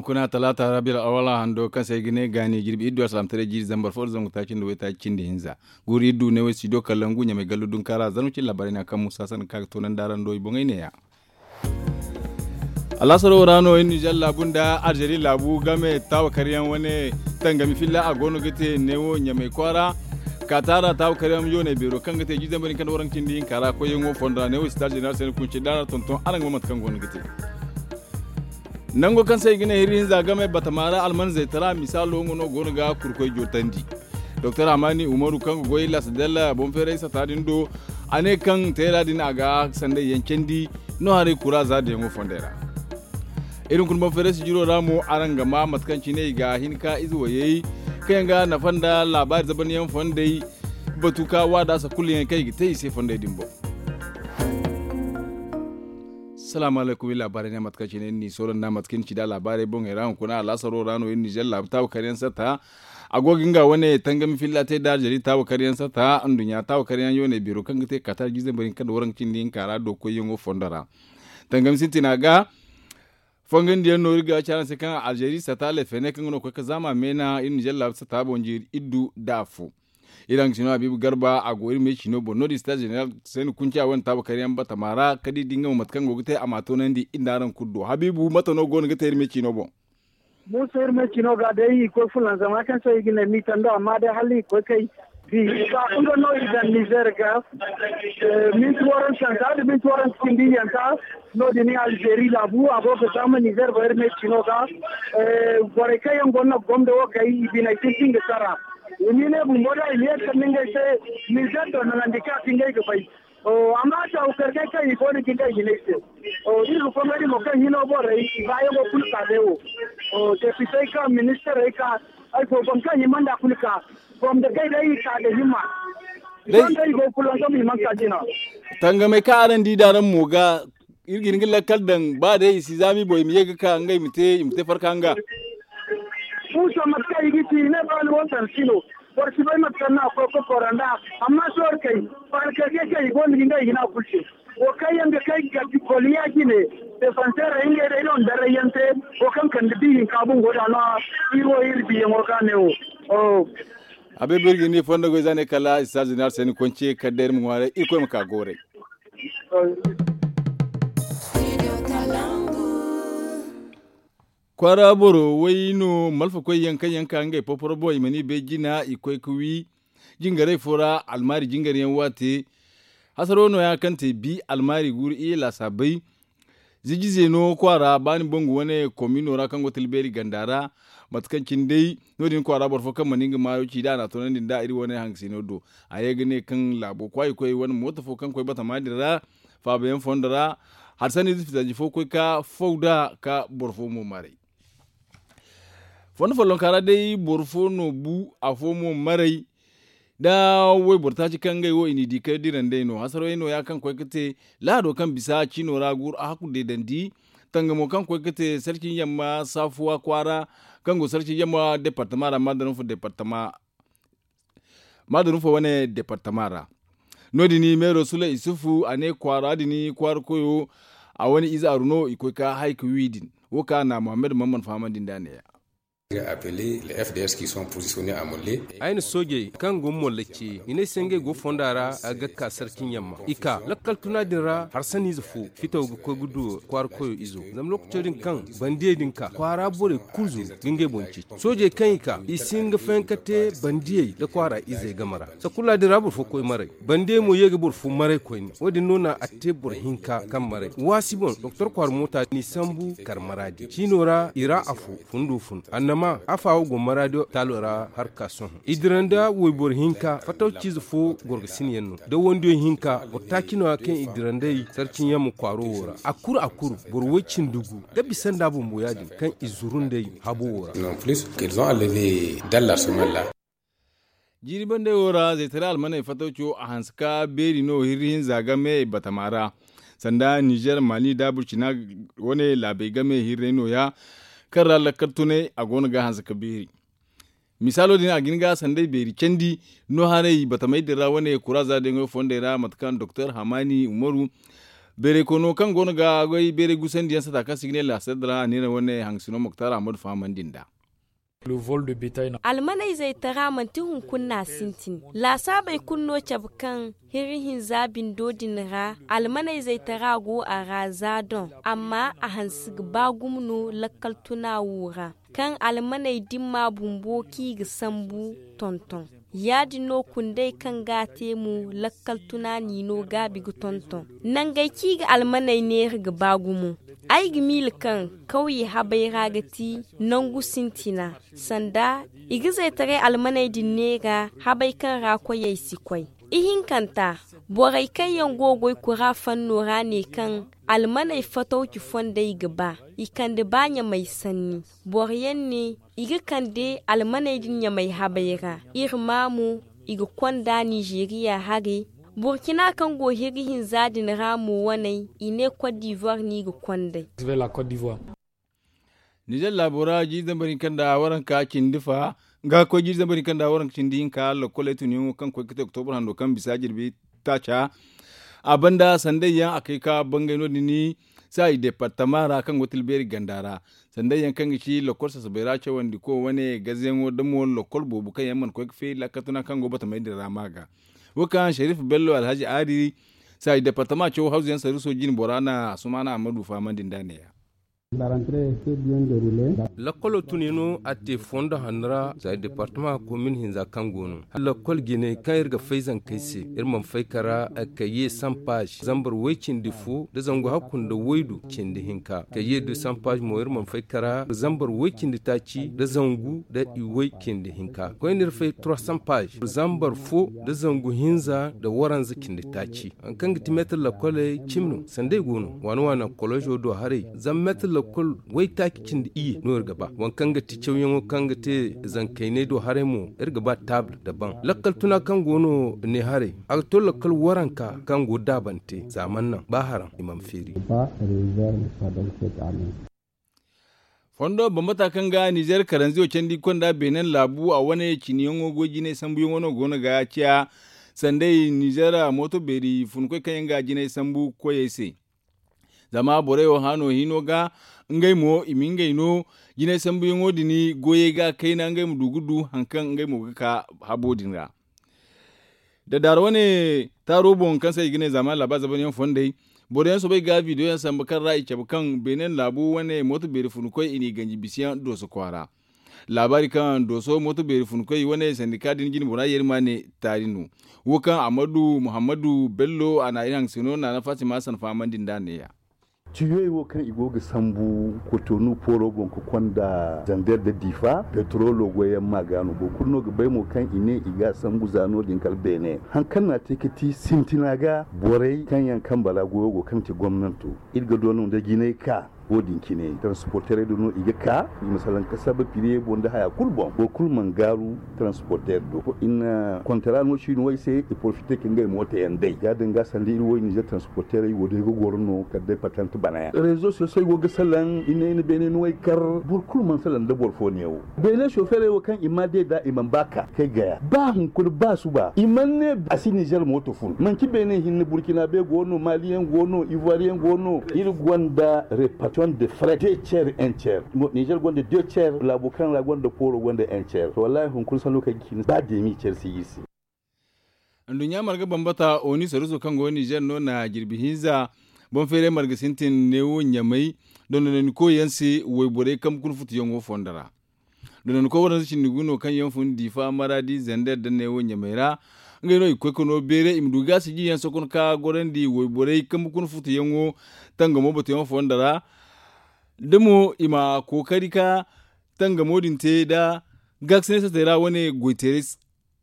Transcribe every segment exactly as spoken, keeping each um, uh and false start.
Kuna talaata rabiil awala hando kaŋ se ay ga ne gaani jirbi iddu alsalamtaray jiiri zambar fo da zangu taaci nda waytaaci cindi hinza. Guuru iddu ne way studio kallangu ɲamay gallu dunkaara zarma cindi laabaarey no ya kaŋ musa sanni kaŋ a ga toonandi araŋ do i boŋey ne- ya. Alaasaro ra no iri nizer laabu nda alzeeri laabu game taawakaryaŋ wane tangami filla a go no ga te neewo ɲamay kwaara. Kaataara taawakaryaŋ yoonay beero kaŋ ga te jiiri zambar hinka nda waranka cindi hinka ra koyyaŋo fondo ra neewo sitaaz zeneral se ni kunci da araŋ tonton araŋ ga ma mate kaŋ go no ga te. Nango kaŋ se i ga ne hiri hinza game batama ra almanzey tara misaalo nga no go no ga kurkoy jootandi. Doktor hamani umaru kaŋ ga goy lasadel boŋ feeray sata din do a ne kaŋ teera din a ga sanday yaŋ candi no haray kura za da yaŋo fondey ra. Iri hunkuna boŋ feeray sijiro ra mo araŋ ga ma mate kaŋ cine i ga hin ka ize wayey kaŋ yaŋ ga nafa nda laabaari zabanyaŋ fondey batu ka waada sakulluyaŋ kaŋ i ga te i se fondey din boŋ. Salaamu alaykum iri laabaarey ne mate kaŋ cine ni soolanda mate kaŋ ni ci da laabaarey boŋey ra hunkuna alaasaro ra no iri nizer laabu taabu karyaŋ sata. A go ga nga wane tangami filla te da aljeri taabu karyaŋ sata nduɲɲa taabu karyaŋ yoonay beero kaŋ ga te katar jiizey bari hinka nda waranka cindi hinka ra do koyyaŋo fondo ra. Tangami sintina ga fongandiyaŋ no iri ga ci araŋ se kaŋ aljeri sata lefene kaŋ ga no ga koy ga zaama meena iri nizer laabu sata boŋ jiiri iddu da afo. Iri haŋ ga sino habiibu garba a go iri me ciino boŋ no- din sitaaz zeneral se ni kunca wane taabu karyaŋ batama ra ka di da nga mo mate kaŋ go ga te a m'a toonandi iri nda araŋ kulu do habiibu mate no go no ga te iri me ciino boŋ. Muusa iri me ciino ga day i koy fulanzama kaŋ se i ga ne miitando amma day hala i koy kay bi ba nga no i daŋ nizer ga minti waranka santa da minti waranka cindi yanta. No- din alzeeri laabu a go ga zaama nizer boŋ iri me ciino ga borey kaŋ yaŋ go no ga gomdo wo kay i biney sintin ga sara. I ma i ne bumbo da i ma ye ga kande ngey se nizer do nanandi kaŋ a ti ngey ga bay. Amma a taawu karkey kaŋ i go no ga ngey hinay se iri ga fongay din mo kaŋ hino borey i baayaŋo kulu ka day wo. Depitey ka ministirey ka ay fo boŋ kaŋ hima nda kulu ka gomdo kay day i ka ga hima. Day i go ga fulanzam i mana ka jina. Tangamey kaŋ araŋ di da araŋ mo ga iri ga hin ga lakkal daŋ ba day i si zaami boŋ i ma ye ga ka ngey ma te i ma te farka nga. Muusa mate kaŋ i ga ci i ne ba ni wo sansi no. Boro si bay mate kaŋ no a koy ga kora nd'a. Amma sohõ kay faarikey kaŋ i go no ga ngey hina kulu te. Wo kaŋ yaŋ ga kay ga goliya jine defanseerey ngey day no na daray yaŋ te. Wo kaŋ kande bi hinka bumbo da no iri wo iri biyaŋo ga ne wo. A bay ba iri ga ni fondo goy za ne kala sitaaz zeneral se ni konce kala day iri ma ŋwaaray irkoy ma ka gooray. Kwaara boro way no malfakoy yaŋ kaŋ yaŋ ka ngey poporo boŋ i mana i bay jina i koy ga wi jingarey fo ra almaari jingar yaŋ waate. Hasaro no- ya kaŋ te bi almaari guuru iyye laasaabey. Ziji zeeno kwaara ba ni bangu wane komino ra kaŋ go tilbeeri ganda ra. Mate kaŋ cine day no- din kwaara boro fo kaŋ mana nga maayo ci da a na a toonandi nda iri wane hangasino do. A ye ga ne kaŋ laabo kwaayikoy wane mooto fo kaŋ koy batama din ra faabayaŋ fondo ra. Hari sanni ize fitanji fo koy ka faw nd'a ka boro fo mo maray. Fondo follonka ra day boro fo no bu afo mo maray. Da wayboro taaci kaŋ ngey wo i n'i di kay dirandey no hasarawey no- ya kaŋ koy ga te lahado kaŋ bisa ciino ra guuru a hakku deedandi. Tangamo kaŋ koy ga te sarci yamma saafuwa kwaara kaŋ go sarci yamma departama ra maadaranfu departama maadaranfu wane departama ra. No- din meero sule isufu a ne kwaara din kwaara koyo a wane ize aru no i koy ka hay ga wi din. Wo kaŋ a na muhammad mamman fahamandi nd'a ne- ya. Ay na soojey kaŋ go molla ce i ne ay se ngey go fonda ra a ga ka sarcin yamma i ka lakkal tuna din ra harsaniize fo fitaw ga koy ga du kwaara koyo izo. Zama lookaco din kaŋ bandiyey din ka kwaara borey kulu zuru ga ngey boŋ ceeci. Soojey kaŋ i ka i si hin ga fayanka te bandiyey nda kwaara izey game ra. Sakulla din ra boro fo koy maray. Bandiyey mo ye ga boro fo maray koyne wo- din no na a te boro hinka kaŋ maray waasi boŋ doktor kwaara moota n'i sambu kar maraadi ciino ra i ra afo fundo fun annama afa wo go maraadi taalo ra har ka sohõ i dira nda wayboro hinka fatawciize fo gorgosinayaŋ no da wandiyo hinka boro taaci no- ya kaŋ i dira nd'ey sarcin yamma kwaaro wo ra a kuru a kuru boro woy cindi gu ga bisa nda bumbo ya- din kaŋ i zuru nd'ey habo wo ra. Jiiri bandey wo ra zaytaray almaney fatawco a hanse ka beeri no hirri hinza game batama ra. Sanda nizer mali da burcina wane laabey game hirrey no- ya kaŋ ra lakkal tunay a go no ga a hanse ka beeri. Misaalo din a ga hin ga sandey beeri candi no haray batamey din ra wane kuraza daŋey fondey ra mate kaŋ doktor hamani umaru Beeray koyno kaŋ go no ga goy beeray gusandi yaŋ sata kaŋ se i ga ne laasar dira a ne no wane haŋ sino moktar ahmadu fahamandi nd'a. Almaney zaytara manti hunkuna no a sintin. Laasaabey kulu no cabe kaŋ hiri hinza bindo din ra almaney zaytara go a ra za doŋ, amma a hanse ga ba gumo no lakkal tuna wo ra kaŋ almaney dimma bumbo kaŋ i ga sambu tonton. Ya- din no kundey kaŋ ga a te mo lakkal tuna n'i no gaabi ga tonton. Nangey kaŋ i ga almaney neera ga ba gumo. Ay ga miila kaŋ kawye habay ra ga ti nangu sintina, sanda i ga zaytaray almaney din neera habay kaŋ ra koyey si koy. Ihinkanta, borey kaŋ yaŋ go ga goy kura fanno ra ne kaŋ almaney fatawci fondey ga ba i kande ba ɲamay sanni. Boro yaŋ ne i ga kande almaney din ɲamay habay ra. Iri ma mo i ga konda nizeeriya haray. Burkina kaŋ go hiri hinza din ra mo waney i ne kot divuwar no i ga kond'ey. Nizer laabo ra jiiri zambar hinka nda waranka cindi fa ga koy jiiri zambar hinka nda waranka cindi hinka lokkoley tun yaŋo kaŋ koy ga te oktobur hando kaŋ bisa jirbi taaca. A banda sanday yaŋ a kay ka bangay no- din sayi departama ra kaŋ go tilbeeri ganda ra. Sanday yaŋ kaŋ ga ci lokkol sasabay ra cawandi ko wane gaze yaŋo da mo lokkol boobo kaŋ yaŋ mana koy ga feeri lakkal tuna kaŋ go batamay din ra ma ga. Wo kaŋ sharif bello alhazi aari sayi departama caw hawzu yaŋ saruso jine bora na asumana ahmadu fahamandi nda ne ya. Lakkolo tune no a te fondo hanno ra za departama komin hinza kaŋ go no. Lakkol jine kaŋ iri ga fay zankey se iri mana fay kara ka ye sampaz zambar way cindi fo nda zangu hakku nda waydu cindi hinka ka ye du sampaz mo iri mana fay kara zambar way cindi taaci nda zangu nda iway cindi hinka koyne iri fay trois sampaz zambar fo nda zangu hinza nda waranza cindi taaci. Hari kaŋ ga ti meetir lakkoley cimi no sanda i go no waana waana kolozo do haray. Zama meetir lakkol waytaaci cindi iyye no iri ga ba waŋ kaŋ ga ti cawyaŋo kaŋ ga te zankayney do haray mo iri ga ba taabul nda baŋ lakkal tuna kaŋ go no ne haray. A ga to lakkal waranka kaŋ go daabante za mana naŋ ba haraŋ i mana feeri. Fondo bambata kaŋ ga nizer karanziyo candi konda beenen laabu a wane ciniyaŋo goy jinay sambuyaŋo no go no ga ciya sanday nizer mooto beeri funkoy kaŋ yaŋ ga jinay sambu koyey se. Zama borey wo hano hino ga ngey mo i ma ngey no jinay sambuyaŋo din goyey ga kayna ngey ma du ga du hari kaŋ ngey mo ga ka habo din ra. Dadaara wane taaro boŋ kaŋ se i ga ne zaamaani laaba zabanyaŋ fondey boro yaŋ soobay ga bidiyo yaŋ sambu kaŋ ra i cabe kaŋ beene laabu wane mooto beeri funkoy i n'i ganji bisa yaŋ dooso kwaara. Laabaari kaŋ dooso mooto beeri funkoy wane sandika din jine bora yeeri ma ne taari no. Wo kaŋ ammadu muhammadu bello a na iri haŋ se no naana fatima hassan fahamandi nd'a ne- ya. Tiyoy wo kaŋ i go ga sambu kotonu pooro boŋ ga konda zander nda diifa petrolo goyyaŋ ma ga no boro kulu no ga bay mo kaŋ i ne i ga a sambu za no- din kala beene. Hari kaŋ no a te ga ti sintina ga borey kaŋ yaŋ kambe ra goyo go kaŋ ga ti gomnanto iri ga do no nda jinay ka wo- din cine taransporterey do no i ga ka i ma salaŋ ga saba piriyey boŋ nda haya kulu boŋ boro kulu mana gaaru. Taransporter do i na kontara no siino wo ay se i porofite ka ngey mooto yaŋ day ya- din ga sanda iri wo i nizer taransporterey wo day ga goro no kala day patant bana yaŋ rezo sosey go ga salaŋ i ne i na beene no ay kar. Boro kulu mana salaŋ nda boro fo neewo beene soferey wo kaŋ i ma day nd'a i mana ba ka kay gaya ba hunkuna ba suba i mana ne a si nizer mooto fun manci beene hinne burkina be go no maliyaŋ go no ivoiriyaŋ go no. Iri gonda repaton de fret de cer en cer nizer gonda de cer laabo kaŋ ra gonda pooro gonda en cer to wallahi hunkuna sanno kaŋ ga hin ba deemi cer si iri se. Nduɲɲa marga bambata oni saruso kaŋ go nizer no na jirbi hinza boŋ feeray marga sintin neewo ɲamay dondonandikoy yaŋ se wayborey kambe kuna futuyaŋo fondo ra. Dondonandikoy waranza cindi gu no kaŋ yaŋ fun diifa maradi zander nda neewo ɲamay ra. Ngey no i ga koy ka no beeray i ma du gaasi jiyaŋ sokon ka gorandi wayborey kambe kuna futuyaŋo tangamo batuyaŋo fondo ra. Da mo i ma kookari ka tangamo din te nda gaakasinay satey ra wane goyteeray.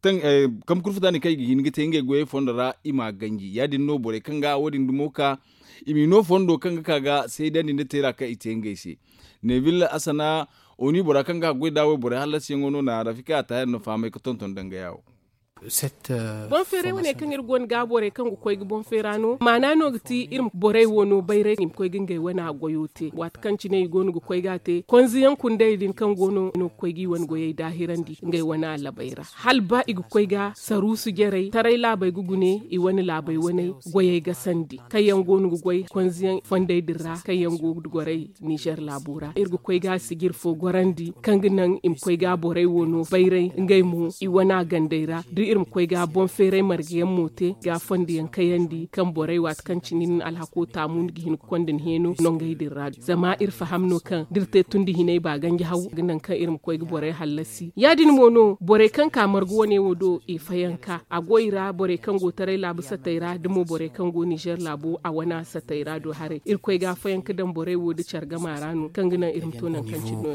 Kambe kurfuta ne kaŋ i ga hin ga te ngey goyey fondo ra i m'a ganji ya- din no borey kaŋ ga wo- din dumo ka i m'i no fondo kaŋ ga ka ga seedandi nda teera kaŋ i te ngey se. Neville asana oni bora kaŋ ga a goy nd'a wayborey hallasiyaŋo no na rafika a taahir no fahamay ga tonton dangaya wo. Boŋ feeray wane kaŋ iri go no ga borey kaŋ ga koy ga boŋ feera no maana no ga ti iri ma borey wo no bayray i ma koy ga ngey wane goyo te waati kaŋ cine i go no ga koy ga a te konziyaŋ kundey din kaŋ go no no ga koy ga i wane goyey daahirandi ngey wane alabey ra. Hala ba i ga koy ga saruusu jarey taray laabey ga gune i wane laabey wane goyey ga sandi kaŋ yaŋ go no ga goy konziyaŋ fondey din ra kaŋ yaŋ go ga goray nizer laabo ra iri ga koy ga sijir fo gorandi kaŋ ga naŋ i ma koy ga borey wo no bayray ngey mo i wana gandey ra da iri ma koy ga boŋ feeray marga yaŋ mo te ga fondo yaŋ kayandi kaŋ borey waati kaŋ cine ni na alhako taamu ni ga hin ga konda ni heeno nongey din ra zama iri faham no kaŋ da iri te tundi hinay ba ganji haw ga naŋ kaŋ iri ma koy ga borey hallasi ya- din mo no borey kaŋ ka marga wane wo do i fayanka a go i ra borey kaŋ go taray laabu satey ra da mo borey kaŋ go nizer laabo a wana satey ra do haray iri koy ga fayanka daŋ borey wo da care gama ra no kaŋ ga naŋ iri ma to naŋ kaŋ cine no.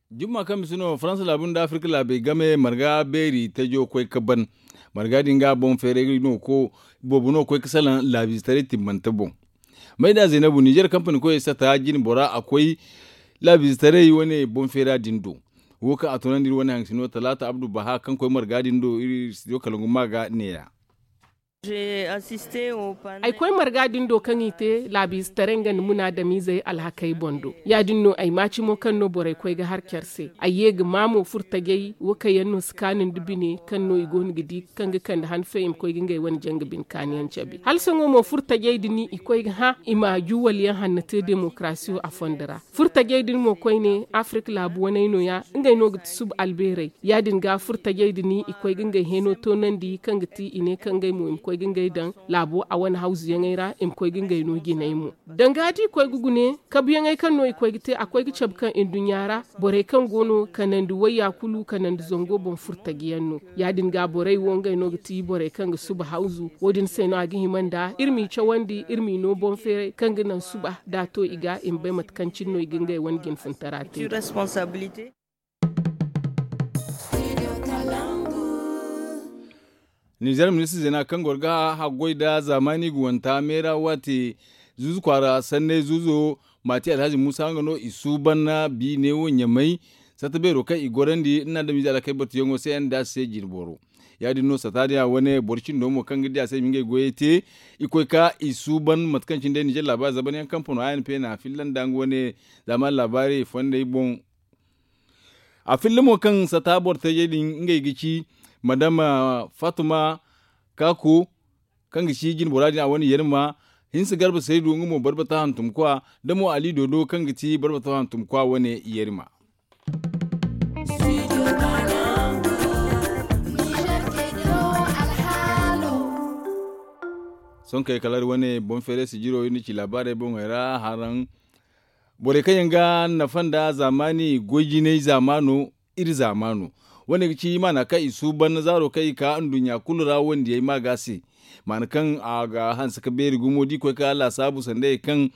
Jumma kaŋ bisa no faransa laabu nda afirka laabey game marga beeri tajo koy ga ban marga din ga boŋ feeray no ko boobo no ga koy ga salaŋ laabiizetaray timmante boŋ. Mayda zaynabu nizer kampani koyey sata jine bora a koy laabiizetaray wane boŋ feera din do. Wo kaŋ a tunandi iri wane haŋ sino talaata abdu baha kaŋ koy marga din do iri studio kalangu ma ga neeya. Ay koy marga din do kaŋ i te laabiizetaray nga nda munaadamiizey alhakey boŋ do ya- din no ay maaci mo kaŋ no borey koy ga har care se ay ye ga ma mo furtajey wo kaŋ yaŋ no si kaanu nda bine kaŋ no i go no ga di kaŋ ga kande han fo i ma koy ga ngey wane janga bine kaanu yaŋ cabe hala sohõ mo furtajey din i koy ga hã i ma juwal yaŋ hanno te demokarasiyo a fondo ra. Furtajey din mo koyne afirka laabu waney no- ya ngey no ga ti suba albeerey ya- din ga furtajey din i koy ga ngey heeno toonandi kaŋ ga ti i ne kaŋ ngey mo i ma koy ga ngey daŋ laabo a wane hawzuyaŋey ra i ma koy ga ngey no jinay mo. Danga da i koy ga gune kabuyaŋey kaŋ no i koy ga te a koy ga cabe kaŋ nduɲɲa ra borey kaŋ go no kanandi wayya kulu kanandi zango boŋ furtaji yaŋ no. Ya- din ga borey wo ngey no ga ti borey kaŋ ga suba hawzu wo- din se no a ga hima nda iri m'i cawandi iri m'i no boŋ feeray kaŋ ga naŋ suba da a to i ga i ma bay mate kaŋ cine no i ga ngey wane jinfuntara te. Nizer ministir zeena kaŋ goro ga haggoy nda zaamaani guwanta meera waate zuuzu kwaara sanney zuuzo maati alhazi muusa nga no i suuban biine wo ɲamay satta beero kaŋ i gorandi nda adamize alakay batuyaŋo se nda a se jinboro. Ya- din no satta din a wane boro cindo mo kaŋ ga di a se i ma ngey goyey te i koy ka i suuban mate kaŋ cine day nizer laabaari zabanyaŋ kaŋ pono a n p na filla nda nga wane zaamaani laabaari fondey boŋ. A filla mo kaŋ sata boro tajey din ngey ga ci madama fatuma kako kaŋ ga ci jinbora din a wane yerima hinsa garba saydu nga mo barbata hantumkwa da mo ali dodo kaŋ ga ci barbata hantumkwa wane yerima. Sohõ kay kala iri wane boŋ feeray sijiro iri na ci laabaarey boŋey ra haraŋ borey kaŋ yaŋ ga nafa nda zaamaani goy jinay zaamaano iri zaamaano. Wane ga ci maana kaŋ i suuban zaaro kaŋ i ka nduɲɲa kulu ra wandiyey ma ga se maana kaŋ a ga hanse ka beeri gumo da i koy ka laasaabu sanda ye kaŋ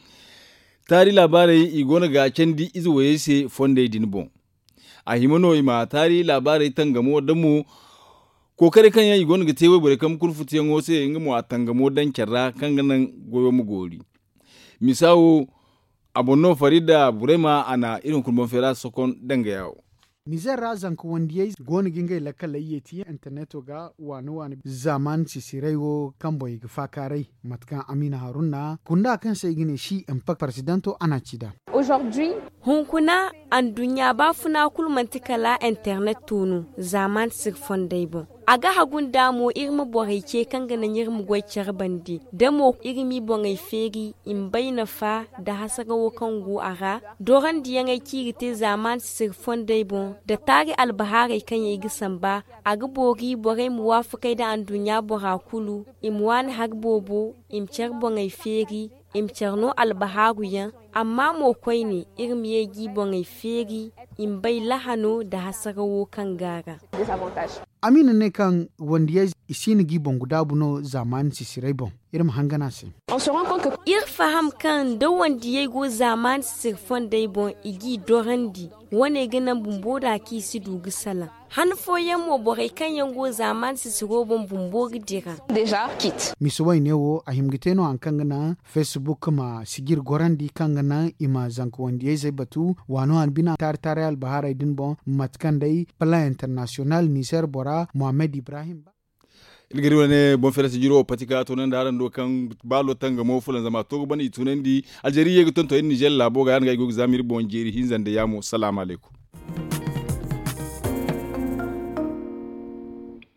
taari laabaarey i go no ga candi ize wayey se fondey din boŋ. A hima no i ma taari laabaarey tangamo da mo kookaray kaŋ yaŋ i go no ga te wayborey kambe kulu futuyaŋo se nga mo a tangamo daŋ care ra kaŋ ga naŋ goyo ma goori. Misa wo a boŋ no farida burema a na iri hunkuna boŋ feera sokon dangaya wo. Nizer ra zanka wandiyey go no ga ngey lakkaley yeeti interneto ga waani waani zaaman sisiray wo kaŋ boŋ i ga faakaaray mate kaŋ amina haruna kunda kaŋ se i ga ne si impact paresidanto a na ci nd'a. Hunkuna anduɲɲa baafuna kulu manti kala internet to no zaaman siri fondey boŋ. A ga hagu nda mo iri ma borey ce kaŋ ga naŋ iri ma goy care bande da mo iri m'i boŋey feeri i ma bay nafa nda hasarawo kaŋ go a ra. Dorandiyaŋey kaŋ i ga te zaaman sisiri fondey boŋ nda taari albahaarey kaŋ yaŋ i ga samba a ga boori borey ma waafakey nda anduɲɲa bora kulu i ma waani hari boobo i ma care boŋey feeri i ma care no albahaaru yaŋ. Amma mo koyne iri ma ye g'i boŋey feeri i ma bay lahano nda hasarawo kaŋ go a ra. Amina ne kaŋ wandiyey i si no g'i boŋ ga daabu no zaamaani sisirey boŋ. Iri ma hangan a se. Iri faham kaŋ da wandiyey go zaamaani sisiri fondey boŋ i g'i dorandi wane ga naŋ bumbo da kaŋ i si du ga salaŋ. Han fooyaŋ mo borey kaŋ yaŋ go zaamaani sisiro boŋ bumbo ga dira. Misa wayne wo a hima ga te no hari kaŋ ga naŋ facebook ma sijiri gorandi kaŋ ga naŋ i ma zanka wandiyayzey batu waano han bina taari taaray albahaarey din boŋ mate kaŋ day plan international nizer bora mohammed ibrahim ba. Iri ga di wane boŋ feela sijiro wo patika tunandi araŋ do kaŋ baalo tangamo fulanzama to ga bana i tunandi. Alzeri ye ga tonton iri nizer laabo ga yaŋ ga ay go ga zaama iri boŋ jeeri hinza nda yaamo salaamu alaykum.